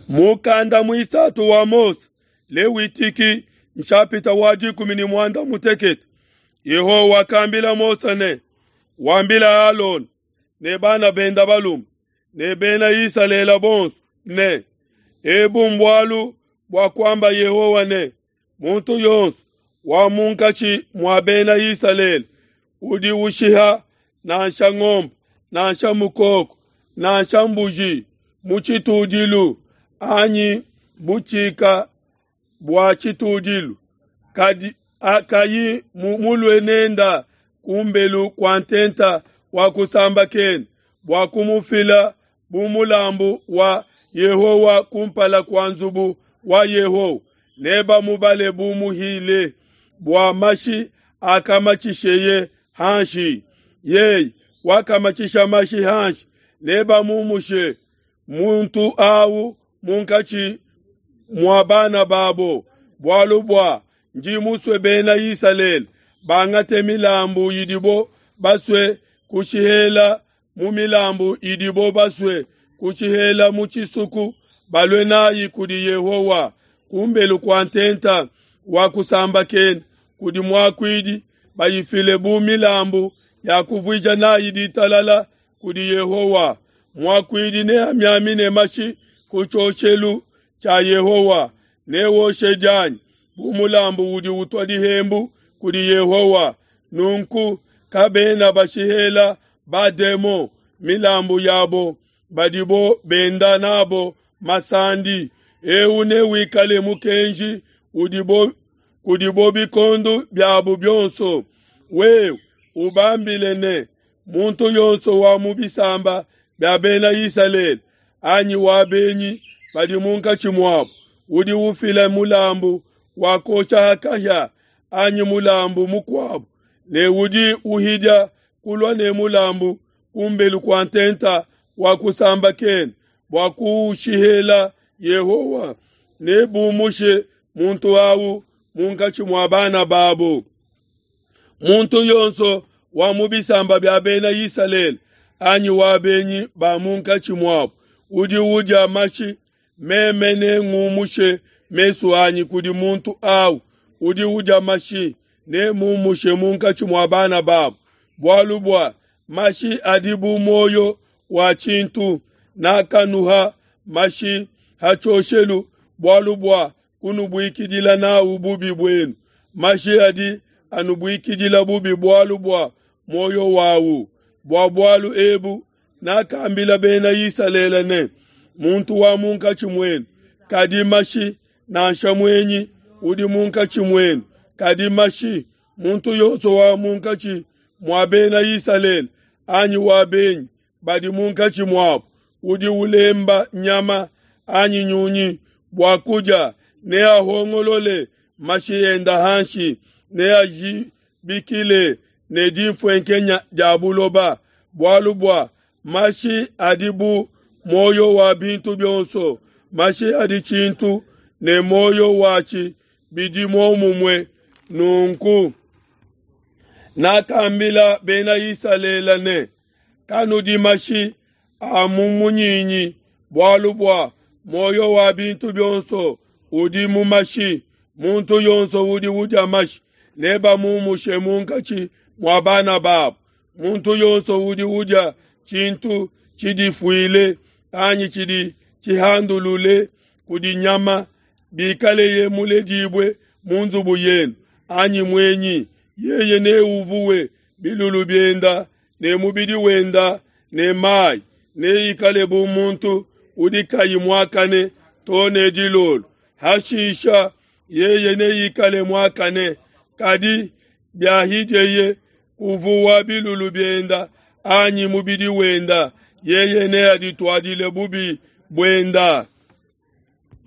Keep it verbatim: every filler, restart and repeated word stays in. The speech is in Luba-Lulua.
Mukanda muisatu wa Mose, Lewitiki nshapita wa dikumi ne muanda mutekete. Yehowa wakambila Mose ne, wambila Alona ne bana benda balume ne bena Isalele bonso ne, ebu mbualu bua kuamba Yehowa ne, muntu yonso wa munkatshi mua bena Isalele udi ushiha nansha ngombe nansha mukoko nansha mbuji mu tshitudilu anyi butshika bua tshitudilu kadi akayi mulue nenda kumbelu kwa ntenta wa kusambakena bua kumufila bu mulambu wa Yehowa kumpala kwa nzubu wa Yehowa, nebamubale bu muhile bua mashi akamatshisheye hanshi. Yeye wakamatshisha mashi hanshi, nebamumushe muntu awu munkatshi mua bana babo, bualu bua ndi musue bena Isalele bangate milambu idibo basue kushihela mu milambu idibo basue kushihela mu tshisuku, balue nayi kudi Yehowa kumbelu kwa ntenta wa kusambakena kudi muakuidi, bayifile bu milambu ya kuvuija nayi ditalala kudi Yehowa. Muakuidi neamiamine mashi ku tshioshelu tshia Yehowa, newoshe dianyi bu mulambu udi utua dihembu kudi Yehowa. Nunku kabena bashihela bademo milambu yabo badibo benda nabo masandi. Eu newikale mukenji udibo kudibo bikondo byabo byonso. Wewe ubambile ne, muntu yonso wa mu bisamba bya bena Isalele anyi wa benyi badi munkatshi muabo udi ufila mulambu wa kosha kahia anyi mulambu mukuabo ne udi uhidia kulua ne mulambu kumbelu kwa ntenta wa kusambakena bua kuushihela Yehowa, nebumushe muntu awu munkatshi mua bana babo. Muntu yonso wa mu bisamba bya bena Isalele anyi wa benyi ba munkatshi muabo udi udia mashi, meme nengumushe mesu anyi kudi muntu awu udi udia mashi, nemumushe munkatshi mua bana babo, bualu bua mashi adi bu muoyo wa tshintu. Nakanuha mashi ha tshioshelu bualu bua kunubuikidila nawu bubi buenu. Mashi adi anubuikidila bubi bualu bua muoyo wawu. Bua bualu ebu nakambila bena Isalele ne, muntu wa munkatshi muenu kadi mashi, nansha muenyi udi munkatshi muenu kadi mashi, muntu yonso wa munkatshi mua bena Isalele anyi wa benyi badi munkatshi muabo udi ulemba nyama anyi nyunyi bua kudia, neahongolole mashi enda hanshi, neajibikile ne dimfuenkenya dia buloba, bualu bua mashi adi bu muoyo wa bintu byonso. Mashi adi tshintu ne muoyo watshi bidi muomumue. Nunku nakambila bena Isalele ne, kanudi mashi a mu munyinyi, bualu bua muoyo wa bintu byonso udi mu mashi. Muntu yonso udi udia mashi nebamumushe munkatshi mua bana babo. Muntu yonso udi udia tshintu tshidifuile anyi tshidi tshihandulule kudi nyama, bikaleye muledibue mu nzubu yenu anyi muenyi, yeye neuvuwe bilulu bienda ne mubidi wenda ne mayi, neikale bu muntu udi kayi muakane to ne dilolo. Hashisha yeye neikale muakane, kadi biahidieye kuvuwa bilulu bienda anyi mubidi wenda, yeye neadituadile bubi buenda.